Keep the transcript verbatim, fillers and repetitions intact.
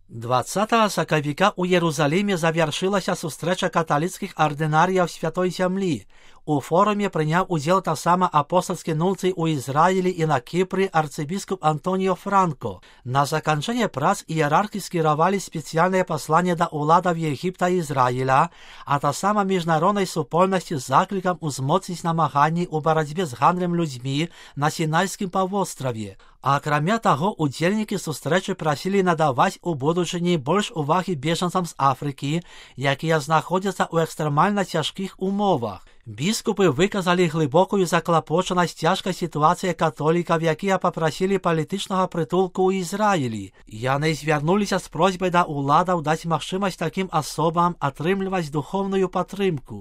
двадцятого сакавіка у Єрусалимі завершилася сустрэча каталіцкіх ардынарыяў Святой Зямлі. У форуме прыняў удзел таксама апостольскі нунцый у Ізраілі і на Кіпры арцыбіскуп Антоніо Франко. На заканчэнне прац іерархі скіравалі спецыяльнае пасланне да ўладаў Егіпта і Ізраіля, а таксама міжнароднай супольнасці з заклікам узмоцніць намаганні ў барацьбе з гандлем людзьмі на Сінайскім паўвостраве. Акрамя таго, удзельнікі сустрэчы прасілі надаваць у будучыні больш увагі бежанцам з Афрыкі, якія знаходзяцца ў экстрэмальна цяжкіх умовах. Біскупы выказалі глыбокую заклапочанасць цяжкай сітуацыі католікаў, якія папрасілі палітычнага прытулку ў Ізраілі. Яны звярнуліся з просьбай да ўладаў даць магчымасць такім асобам атрымліваць духоўную падтрымку.